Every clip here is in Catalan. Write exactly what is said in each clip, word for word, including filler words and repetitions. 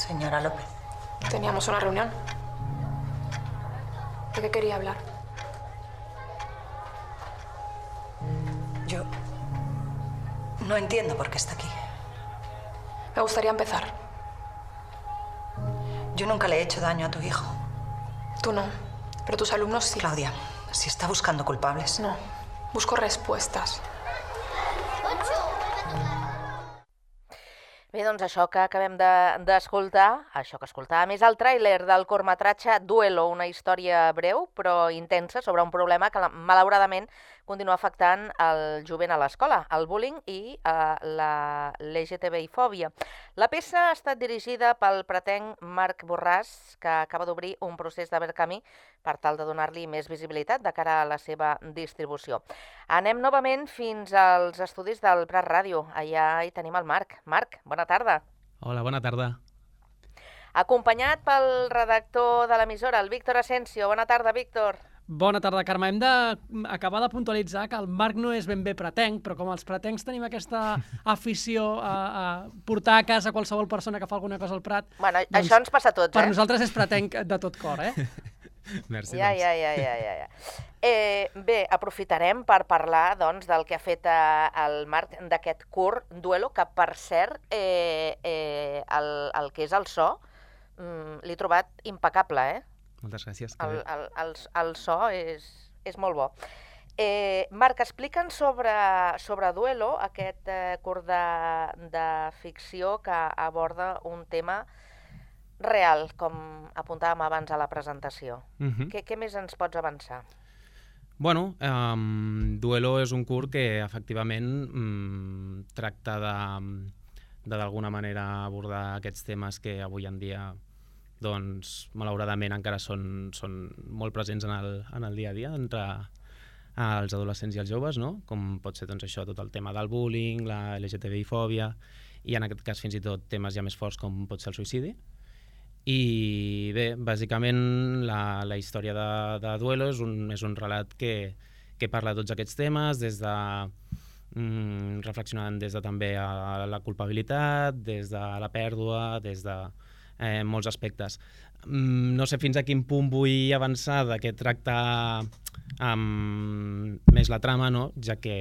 Señora López. Teníamos una reunión. ¿De qué quería hablar? Yo no entiendo por qué está aquí. Me gustaría empezar. Yo nunca le he hecho daño a tu hijo. Tú no, pero tus alumnos sí. Claudia, si está buscando culpables. No, busco respuestas. Bé, doncs això que acabem d'escoltar, això que escoltàvem és el tràiler del curtmetratge Duelo, una història breu però intensa sobre un problema que malauradament continua afectant el jovent a l'escola, el bullying i uh, la L G T B I-fòbia. La peça ha estat dirigida pel pretenc Marc Borràs, que acaba d'obrir un procés de camí per tal de donar-li més visibilitat de cara a la seva distribució. Anem novament fins als estudis del Prat Ràdio. Allà hi tenim el Marc. Marc, bona tarda. Hola, bona tarda. Acompanyat pel redactor de l'emissora, el Víctor Asensio. Bona tarda, Víctor. Bona tarda, Carme. Hem d'acabar de puntualitzar que el Marc no és ben bé pretenc, però com els pretencs tenim aquesta afició a, a portar a casa qualsevol persona que fa alguna cosa al Prat... Bueno, doncs, això ens passa a tots, eh? Per nosaltres és pretenc de tot cor, eh? Merci, ja, doncs. ja, ja, ja, ja, ja. Eh, bé, aprofitarem per parlar doncs, del que ha fet eh, el Marc d'aquest curt Duelo, que per cert, eh, eh, el, el que és el so, mm, l'he trobat impecable, eh? Moltes gràcies. El, el, el, el so és, és molt bo. Eh, Marc, explica'ns sobre, sobre Duelo, aquest eh, curt de, de ficció que aborda un tema real, com apuntàvem abans a la presentació. Uh-huh. Què, què més ens pots avançar? Bueno, um, Duelo és un curt que efectivament um, tracta de, de d'alguna manera abordar aquests temes que avui en dia doncs, malauradament encara són, són molt presents en el, en el dia a dia entre els adolescents i els joves, no? Com pot ser doncs, això, tot el tema del bullying, la L G T B I-fòbia i en aquest cas fins i tot temes ja més forts com pot ser el suïcidi. I bé, bàsicament la, la història de, de Duelo és un, és un relat que, que parla de tots aquests temes, des de mm, reflexionant des de també a la culpabilitat, des de la pèrdua, des de eh, molts aspectes. Mm, no sé fins a quin punt vull avançar de què tracta um, més la trama, no? Ja que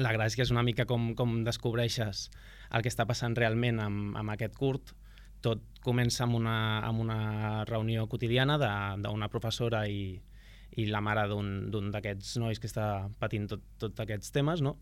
la gràcia és una mica com, com descobreixes el que està passant realment amb, amb aquest curt. Tot comença amb una, amb una reunió quotidiana d'una professora i, i la mare d'un d'aquests nois que està patint tot, tot aquests temes, no?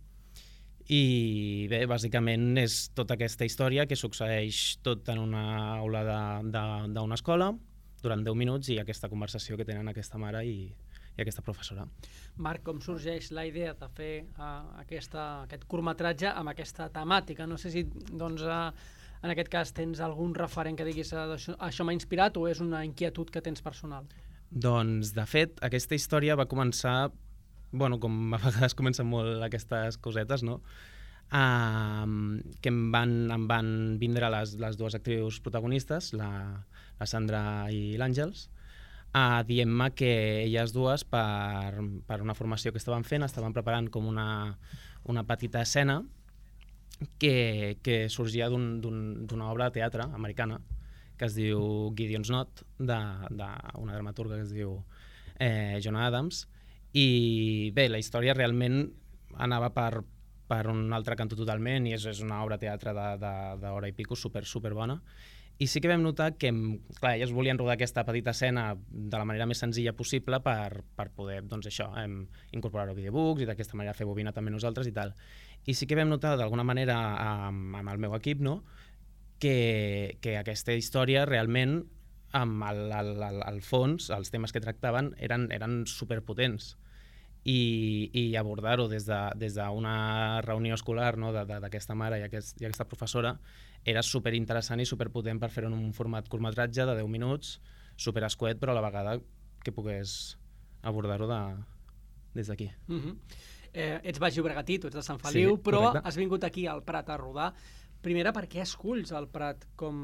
I bé, bàsicament és tota aquesta història que succeeix tot en una aula d'una escola durant deu minuts i aquesta conversació que tenen aquesta mare i, i aquesta professora. Marc, com sorgeix la idea de fer uh, aquesta, aquest curtmetratge amb aquesta temàtica? No sé si doncs, uh, en aquest cas tens algun referent que diguis uh, això, això m'ha inspirat o és una inquietud que tens personal? Doncs, de fet, aquesta història va començar, bueno, com a vegades comencen molt aquestes cosetes, no? Uh, que em van, em van vindre les, les dues actrius protagonistes, la, la Sandra i l'Àngels, uh, dient-me que elles dues, per, per una formació que estaven fent, estaven preparant com una, una petita escena que, que sorgia d'una un, un, obra de teatre americana que es diu Gideon's Knot, d'una dramaturga que es diu eh, Jonah Adams. I bé, la història realment anava per, per un altre cantó totalment i és, és una obra de teatre d'hora i pico super, super bona. I sí que vam notar que, clar, elles volien rodar aquesta petita escena de la manera més senzilla possible per, per poder, doncs això, em, incorporar-ho a videobooks i d'aquesta manera fer bobina també nosaltres i tal. I sí que vam notar d'alguna manera amb, amb el meu equip, no?, que, que aquesta història realment, amb el, el, el, el fons, els temes que tractaven, eren, eren superpotents. I, i abordar-ho des d'una de, des de reunió escolar, no?, d'aquesta mare i, aquest, i aquesta professora era superinteressant i superpotent per fer-ho en un format curtmetratge de deu minuts, superescuet, però a la vegada que pogués abordar-ho de, des d'aquí. Uh-huh. eh, ets baix llobregatí, tu ets de Sant Feliu, sí, però correcte. Has vingut aquí al Prat a rodar. Primera, per què esculls el Prat com,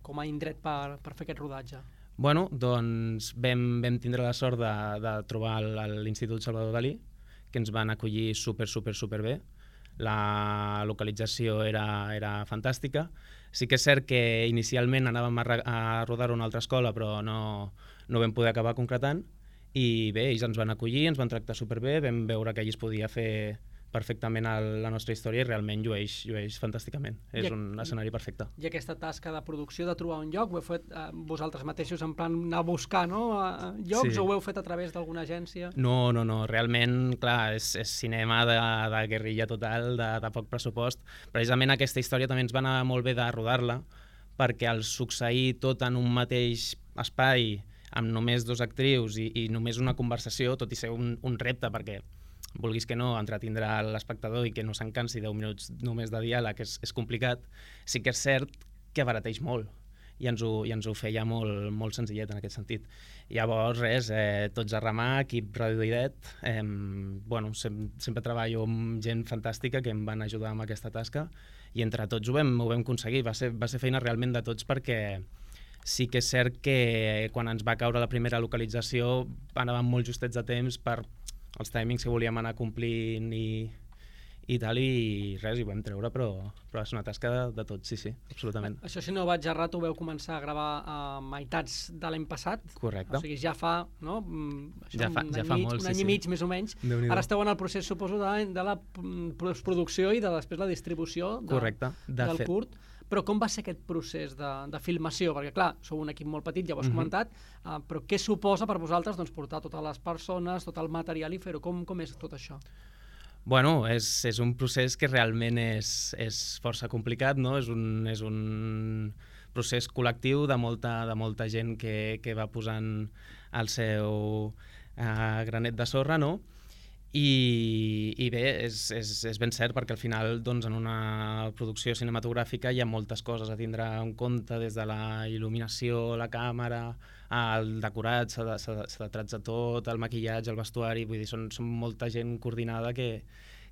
com a indret per, per fer aquest rodatge? Bueno, doncs vam, vam tindre la sort de, de trobar l'Institut Salvador Dalí, que ens van acollir super, super, super bé. la localització era, era fantàstica. Sí que és cert que inicialment anàvem a, a rodar una altra escola, però no, no vam poder acabar concretant, i bé, ells ens van acollir, ens van tractar superbé, vam veure que allí es podia fer perfectament el, la nostra història i realment llueix, llueix fantàsticament. I és un escenari perfecte. I aquesta tasca de producció, de trobar un lloc, ho heu fet eh, vosaltres mateixos en plan anar a buscar, no? A llocs, sí. O ho heu fet a través d'alguna agència? No, no, no. Realment, clar, és, és cinema de, de guerrilla total, de, de poc pressupost. Precisament aquesta història també ens va anar molt bé de rodar-la, perquè al succeir tot en un mateix espai, amb només dos actrius i, i només una conversació, tot i ser un, un repte, perquè vulguis que no, entretindrà l'espectador i que no se'n cansi deu minuts només de diàleg és, és complicat, sí que és cert que abarateix molt i ens ho, i ens ho feia molt, molt senzillet en aquest sentit. Llavors, res, eh, tots a remar, equip reduïdet, eh, bueno, sem sempre treballo amb gent fantàstica que em van ajudar amb aquesta tasca i entre tots ho vam, ho vam aconseguir, va ser, va ser feina realment de tots perquè sí que és cert que quan ens va caure la primera localització anàvem molt justets de temps per els timings que volíem anar complint i, i tal, i res, hi ho vam treure, però, però és una tasca de, de tots, sí, sí, absolutament. Això, si no vaig errat, ho veu començar a gravar a meitats de l'any passat. Correcte. O sigui, ja fa, no? Això, ja fa, un ja any fa mig, molt, un sí, any sí. i mig, més o menys. Ara esteu en el procés, suposo, de, de la postproducció i de després la distribució de, Correcte, de del fet. curt. Però com va ser aquest procés de, de filmació? Perquè, clar, sou un equip molt petit, ja ho has Mhm. comentat, uh, però què suposa per vosaltres doncs, portar totes les persones, tot el material i fer-ho? Com, com és tot això? Bueno, és, és un procés que realment és, és força complicat, no? És un, és un procés col·lectiu de molta, de molta gent que, que va posant el seu uh, granet de sorra, no? I, i bé, és, és, és ben cert perquè al final doncs, en una producció cinematogràfica hi ha moltes coses a tindre en compte, des de la il·luminació, la càmera, el decorat, s'ha de, de, de tratzar tot, el maquillatge, el vestuari, vull dir, són, són molta gent coordinada que,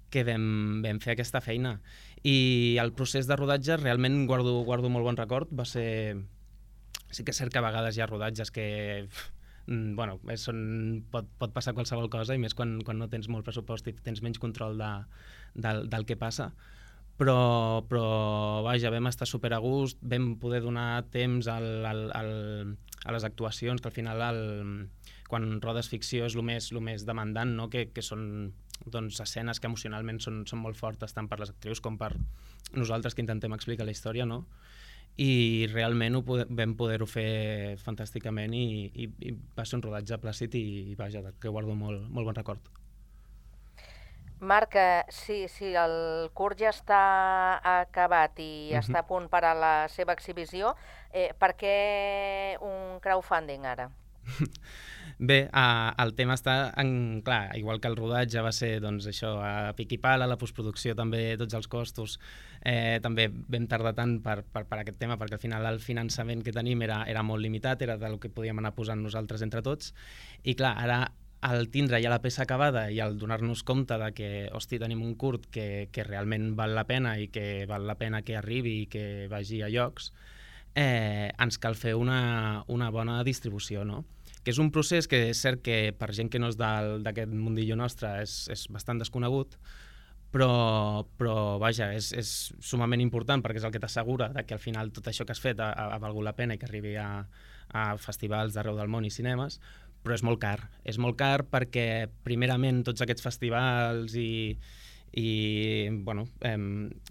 que vam, vam fer aquesta feina. I el procés de rodatge realment guardo, guardo molt bon record, va ser... Sí que és cert que a vegades hi ha rodatges que... Bueno, són, pot, pot passar qualsevol cosa i més quan, quan no tens molt pressupost i tens menys control de, del, del que passa, però, però vaja, vam estar super a gust, vam poder donar temps al, al, al, a les actuacions, que al final el, quan rodes ficció és el més, el més demandant, no? que, que són doncs, escenes que emocionalment són, són molt fortes tant per les actrius com per nosaltres que intentem explicar la història, no? I realment ho pode, vam poder-ho fer fantàsticament i, i, i va ser un rodatge plàcid i, i vaja, que guardo molt, molt bon record. Marc, si, si el curt ja està acabat i uh-huh. està a punt per a la seva exhibició, eh, per què un crowdfunding ara? Bé, uh, el tema està en... Clar, igual que el rodatge va ser doncs, això, a pic i pala, la postproducció també, tots els costos, eh, també vam tardar tant per, per, per aquest tema, perquè al final el finançament que tenim era, era molt limitat, era del que podíem anar posant nosaltres entre tots, i clar, ara al tindre ja la peça acabada i al donar-nos compte de que, hosti, tenim un curt que, que realment val la pena i que val la pena que arribi i que vagi a llocs, eh, ens cal fer una, una bona distribució, no? Que és un procés que és cert que per gent que no és d'aquest mundillo nostre és, és bastant desconegut, però, però vaja, és, és sumament important perquè és el que t'assegura que al final tot això que has fet ha, ha valgut la pena i que arribi a, a festivals d'arreu del món i cinemes, però és molt car. És molt car perquè, primerament, tots aquests festivals i, i bueno, eh,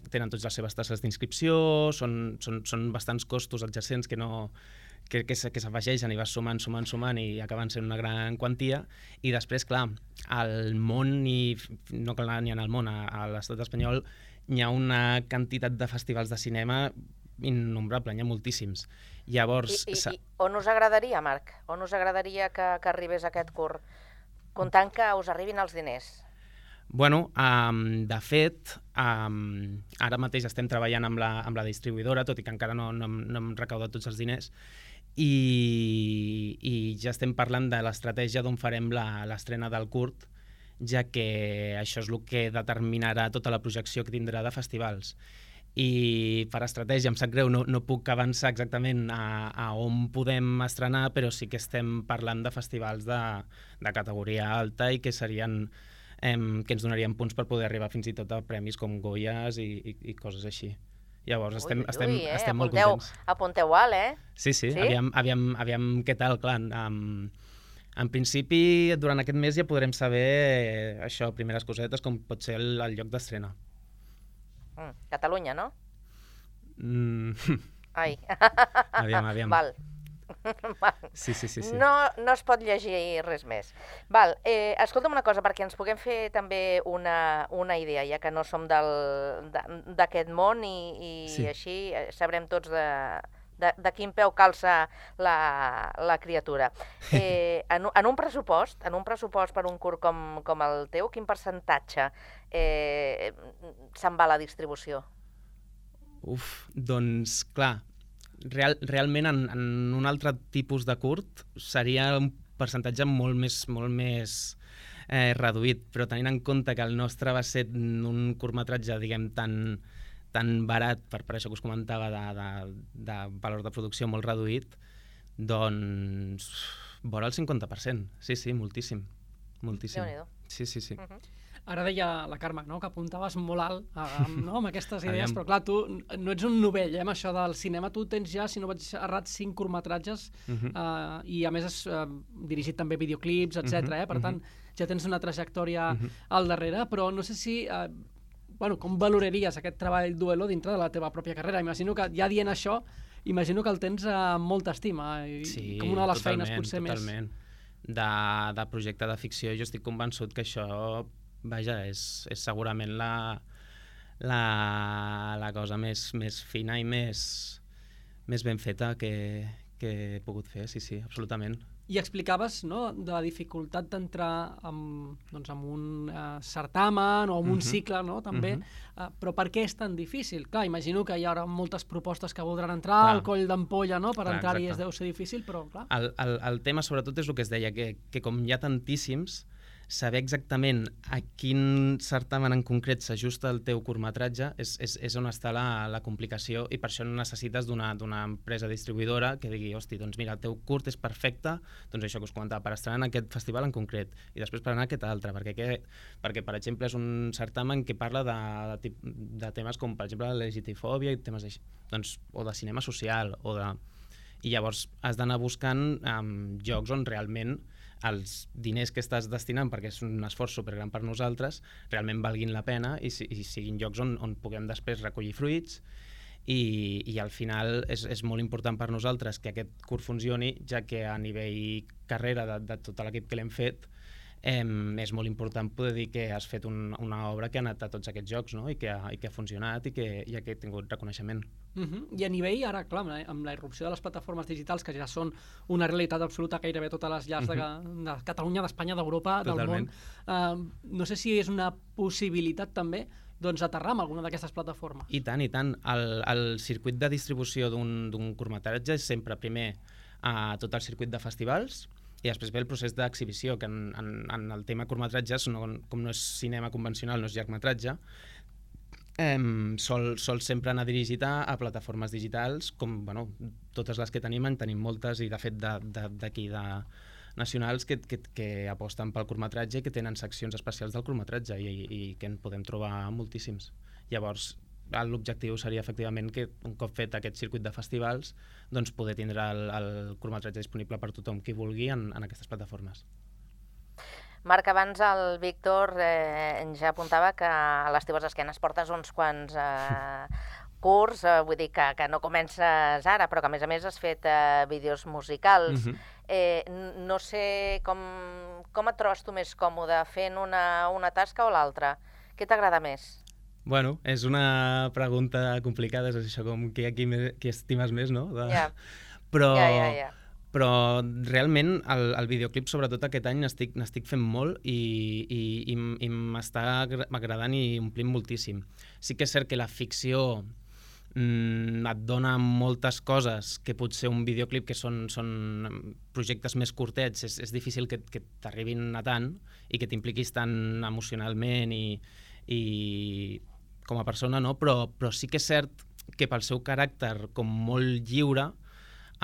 tenen tots les seves tasses d'inscripció, són, són, són bastants costos adjacents que no... que, que s'afegeixen i vas sumant, sumant, sumant i acaben sent una gran quantia. I després, clar, al món, i no cal anar ni en el món, a, a l'estat espanyol hi ha una quantitat de festivals de cinema innombrable, n'hi ha moltíssims. Llavors... I, i, i on us agradaria, Marc? On us agradaria que, que arribés aquest curt? Comptant que us arribin els diners. Bueno, um, de fet, um, ara mateix estem treballant amb la, amb la distribuïdora, tot i que encara no, no, no hem recaudat tots els diners, i, i ja estem parlant de l'estratègia d'on farem l'estrena del curt, ja que això és el que determinarà tota la projecció que tindrà de festivals. I per estratègia, em sap greu, no, no puc avançar exactament a, a on podem estrenar, però sí que estem parlant de festivals de, de categoria alta i que serien em, que ens donarien punts per poder arribar fins i tot a premis com Goyas i, i, i coses així. Llavors, estem, ui, estem, ui, eh? estem molt apunteu, contents. Apunteu alt, eh? Sí, sí, Sí? Aviam, aviam, aviam què tal, clar. Um, en principi, durant aquest mes ja podrem saber eh, això, primeres cosetes, com pot ser el, el lloc d'estrena. Mm, Catalunya, no? Mm, Ai. aviam, aviam. Val. Sí, sí, sí. sí. No, no es pot llegir res més. Val, eh, escolta'm una cosa, perquè ens puguem fer també una, una idea, ja que no som del- de- d'aquest món i, i Sí. així eh, sabrem tots de, de, de quin peu calça la, la criatura. Eh, en, un- en un pressupost, en un pressupost per un curt com, com el teu, quin percentatge eh, se'n va a la distribució? Uf, doncs, clar, real, realment en, en un altre tipus de curt seria un percentatge molt més, molt més eh, reduït, però tenint en compte que el nostre va ser un curtmetratge, diguem, tan, tan barat, per, per això que us comentava, de, de, de valor de producció molt reduït, doncs, vora el cinquanta per cent. Sí, sí, moltíssim. Moltíssim. Déu-n'hi-do. Sí, sí, sí. Uh -huh. Ara deia la Carme, no?, que apuntaves molt alt amb, no?, amb aquestes idees, Aviam. però clar, tu no ets un novell, eh, amb això del cinema. Tu tens ja, si no vaig errat, cinc curtmetratges Uh -huh. eh, i a més has eh, dirigit també videoclips, etcètera. Eh? Per Mhm, tant, ja tens una trajectòria Mhm. al darrere, però no sé si... Eh, bueno, com valoraries aquest treball Duelo dintre de la teva pròpia carrera? Imagino que ja dient això, imagino que el tens amb molta estima i Sí, com una de les totalment, feines potser totalment. De, de projecte de ficció, jo estic convençut que això, vaja, és, és segurament la, la, la cosa més, més fina i més, més ben feta que, que he pogut fer, sí, sí, absolutament. I explicaves, no?, de la dificultat d'entrar en, doncs, en un uh, certamen o en un Mhm. cicle, no?, també. Mhm. Uh, però per què és tan difícil? Clar, imagino que hi haurà moltes propostes que voldran entrar Clar. al coll d'ampolla, no?, per Clar, entrar-hi exacte. deu ser difícil, però clar... El, el, el tema, sobretot, és el que es deia, que, que com hi ha tantíssims, saber exactament a quin certamen en concret s'ajusta el teu curtmetratge és, és, és on està la, la complicació, i per això necessites d'una d'una empresa distribuïdora que digui, hosti, doncs mira, el teu curt és perfecte, doncs això que us comentava, per estrenar en aquest festival en concret, i després per anar a aquest altre, perquè, que, perquè per exemple, és un certamen que parla de, de, tip, de temes com, per exemple, la legitifòbia i temes així, doncs, o de cinema social, o de... I llavors has d'anar buscant um, jocs on realment els diners que estàs destinant, perquè és un esforç supergran per nosaltres, realment valguin la pena i, i siguin llocs on, on puguem després recollir fruits, i, i al final és, és molt important per nosaltres que aquest curt funcioni, ja que a nivell carrera de, de tot l'equip que l'hem fet, eh, és molt important poder dir que has fet un, una obra que ha anat a tots aquests jocs, no? I, que ha, i que ha funcionat i que, i que ha tingut reconeixement. Uh -huh. I a nivell, ara, clar, amb la, amb la irrupció de les plataformes digitals, que ja són una realitat absoluta gairebé a totes les llars uh -huh. de, de Catalunya, d'Espanya, d'Europa, del món, uh, no sé si és una possibilitat també doncs aterrar amb alguna d'aquestes plataformes. I tant, i tant. El, el circuit de distribució d'un curtmetratge és sempre, primer, a tot el circuit de festivals, i després ve el procés d'exhibició, que en, en, en el tema curtmetratges, no, com no és cinema convencional, no és llargmetratge, eh, sol, sol sempre anar dirigit a, a plataformes digitals, com bueno, totes les que tenim, en tenim moltes, i de fet d'aquí de, de, de nacionals que, que, que aposten pel curtmetratge i que tenen seccions especials del curtmetratge, i, i que en podem trobar moltíssims. Llavors, l'objectiu seria efectivament que un cop fet aquest circuit de festivals, doncs poder tindre el, el curtmetratge disponible per tothom qui vulgui en, en aquestes plataformes. Marc, abans el Víctor eh, ja apuntava que a les teves esquenes portes uns quants eh, curts, eh, vull dir que, que no comences ara, però que a més a més has fet eh, vídeos musicals. Mhm. eh, no sé com, com et trobes tu més còmode, fent una, una tasca o l'altra? Què t'agrada més? Bueno, és una pregunta complicada, és això com qui, qui, qui estimes més, no? De... Ja. Però, Ja, ja, ja. però realment el, el videoclip, sobretot aquest any, n'estic fent molt i, i, i, i m'està agradant i omplint moltíssim. Sí que és cert que la ficció mm, et dona moltes coses que potser un videoclip, que són, són projectes més curtets, és, és difícil que, que t'arribin a tant i que t'impliquis tant emocionalment i, i com a persona, no? Però, però sí que és cert que pel seu caràcter com molt lliure,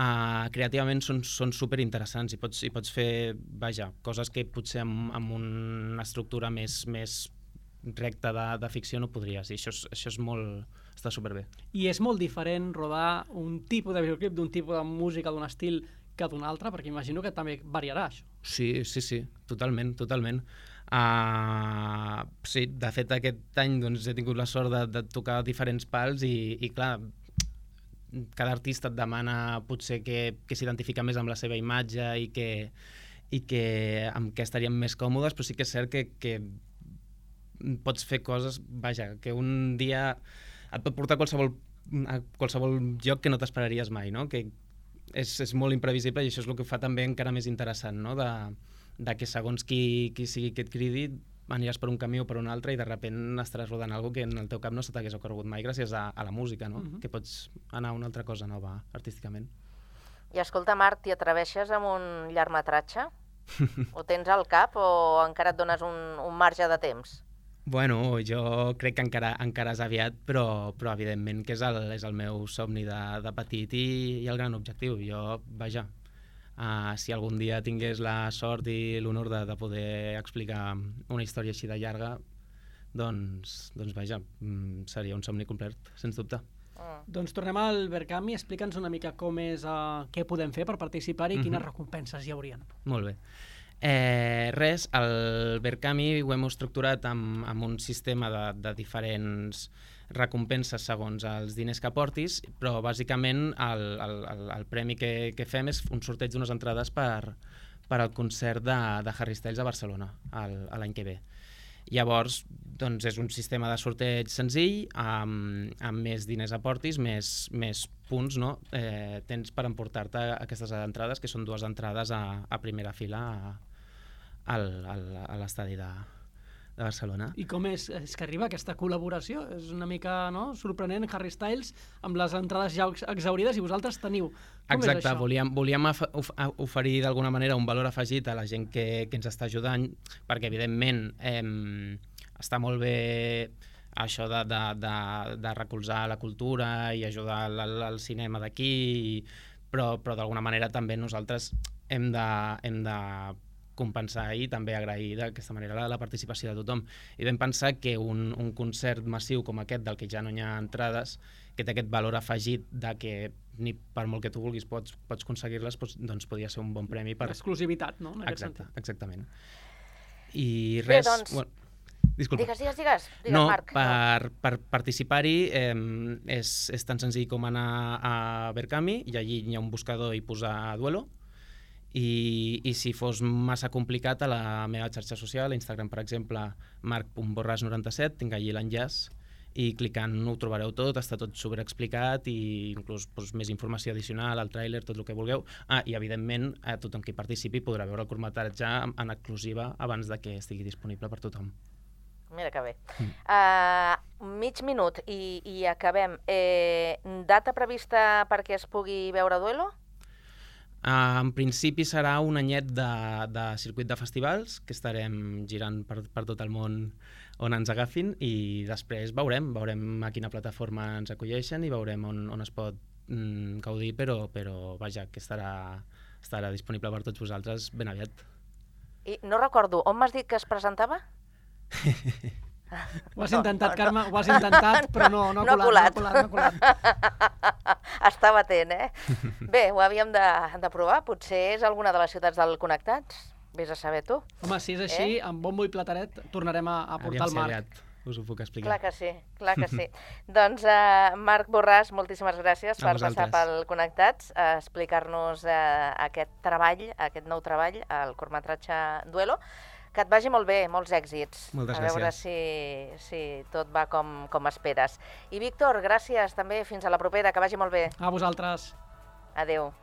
uh, creativament són, són superinteressants i pots, i pots fer, vaja, coses que potser amb, amb una estructura més, més recta de, de ficció no podries, i això és, això és molt... està superbé. I és molt diferent rodar un tipus de videoclip d'un tipus de música, d'un estil, que d'un altre, perquè imagino que també variarà això. Sí, sí, sí, totalment, totalment. Uh, sí, de fet aquest any doncs, he tingut la sort de, de tocar diferents pals i, i clar, cada artista et demana potser que, que s'identifica més amb la seva imatge i que, i que amb què estaríem més còmodes, però sí que és cert que, que pots fer coses, vaja, que un dia et pot portar a qualsevol, a qualsevol lloc que no t'esperaries mai, no? Que és, és molt imprevisible i això és el que ho fa també encara més interessant, no? De, de que segons qui, qui sigui que et cridi aniràs per un camí o per un altre i de sobte estaràs rodant alguna cosa que en el teu cap no se t'hagués ocorregut mai gràcies a, a la música, no? Uh-huh. Que pots anar a una altra cosa nova artísticament. I escolta, Marc, t'hi atreveixes amb un llargmetratge? Ho tens al cap o encara et dones un, un marge de temps? Bueno, jo crec que encara, encara és aviat, però, però evidentment que és el, és el meu somni de, de petit i, i el gran objectiu. Jo, vaja, uh, si algun dia tingués la sort i l'honor de, de poder explicar una història així de llarga, doncs, doncs vaja, seria un somni complet, sens dubte. Mm. Doncs tornem al Berkami, explica'ns una mica com és, uh, què podem fer per participar-hi i quines mm-hmm. recompenses hi haurien. Molt bé. Eh, res, el Berkami ho hem estructurat amb, amb un sistema de, de diferents recompenses segons els diners que portis, però bàsicament el, el, el, el premi que, que fem és un sorteig d'unes entrades per, per al concert de, de Harry Styles a Barcelona l'any que ve. Llavors, doncs és un sistema de sorteig senzill, amb, amb més diners aportis, més, més punts, no? Eh, tens per emportar-te aquestes entrades, que són dues entrades a, a primera fila a, al, al, a l'estadi de, de Barcelona. I com és, és que arriba aquesta col·laboració? És una mica, no?, sorprenent, Harry Styles amb les entrades ja exaurides i vosaltres teniu. Com Exacte, és això? volíem, volíem of oferir d'alguna manera un valor afegit a la gent que, que ens està ajudant, perquè evidentment eh, està molt bé això de, de, de, de recolzar la cultura i ajudar al, al cinema d'aquí, però, però d'alguna manera també nosaltres hem de, hem de compensar i també agrair d'aquesta manera la, la participació de tothom. I vam pensar que un, un concert massiu com aquest, del que ja no hi ha entrades, que té aquest valor afegit de que ni per molt que tu vulguis pots, pots aconseguir-les, doncs, doncs podia ser un bon premi per... L'exclusivitat, no?, en aquest Exacte, sentit. Exactament. I res... Bé, doncs... Bueno, disculpa. Digues, digues, digues, digues no, Marc. per, per participar-hi eh, és, és tan senzill com anar a Berkami i allí hi ha un buscador i posar Duelo. I, i si fos massa complicat, a la meva xarxa social, a Instagram, per exemple, marc punt borràs noranta-set, tinc allí l'enllaç i clicant ho trobareu tot, està tot superexplicat i inclús doncs, més informació addicional, el tràiler, tot el que vulgueu. Ah, i evidentment a tothom que hi participi podrà veure el curtmetratge en exclusiva abans de que estigui disponible per tothom. Mira que bé. Mm. Uh, mig minut i, i acabem. Eh, data prevista perquè es pugui veure Duelo? Uh, en principi serà un anyet de, de circuit de festivals que estarem girant per, per tot el món on ens agafin i després veurem, veurem a quina plataforma ens acolleixen i veurem on, on es pot mm, gaudir, però, però vaja, que estarà, estarà disponible per tots vosaltres ben aviat. I no recordo, on m'has dit que es presentava? Ho has intentat, Carme, ho has intentat, però no, no, no ha colat, colat. no ha colat, no ha colat. Estava atent, eh? Bé, ho havíem de, de provar, potser és alguna de les ciutats del Connectats, vés a saber tu. Home, si és així, eh? amb bombo i plataret tornarem a, a portar el Marc. Aviat us ho puc explicar. Clar que sí, clar que sí. Doncs, uh, Marc Borràs, moltíssimes gràcies per passar pel Connectats, a explicar-nos uh, aquest treball, aquest nou treball, el curtmetratge Duelo. Que et vagi molt bé, molts èxits. Moltes gràcies. A veure si, si tot va com, com esperes. I Víctor, gràcies també, fins a la propera, que vagi molt bé. A vosaltres. Adéu.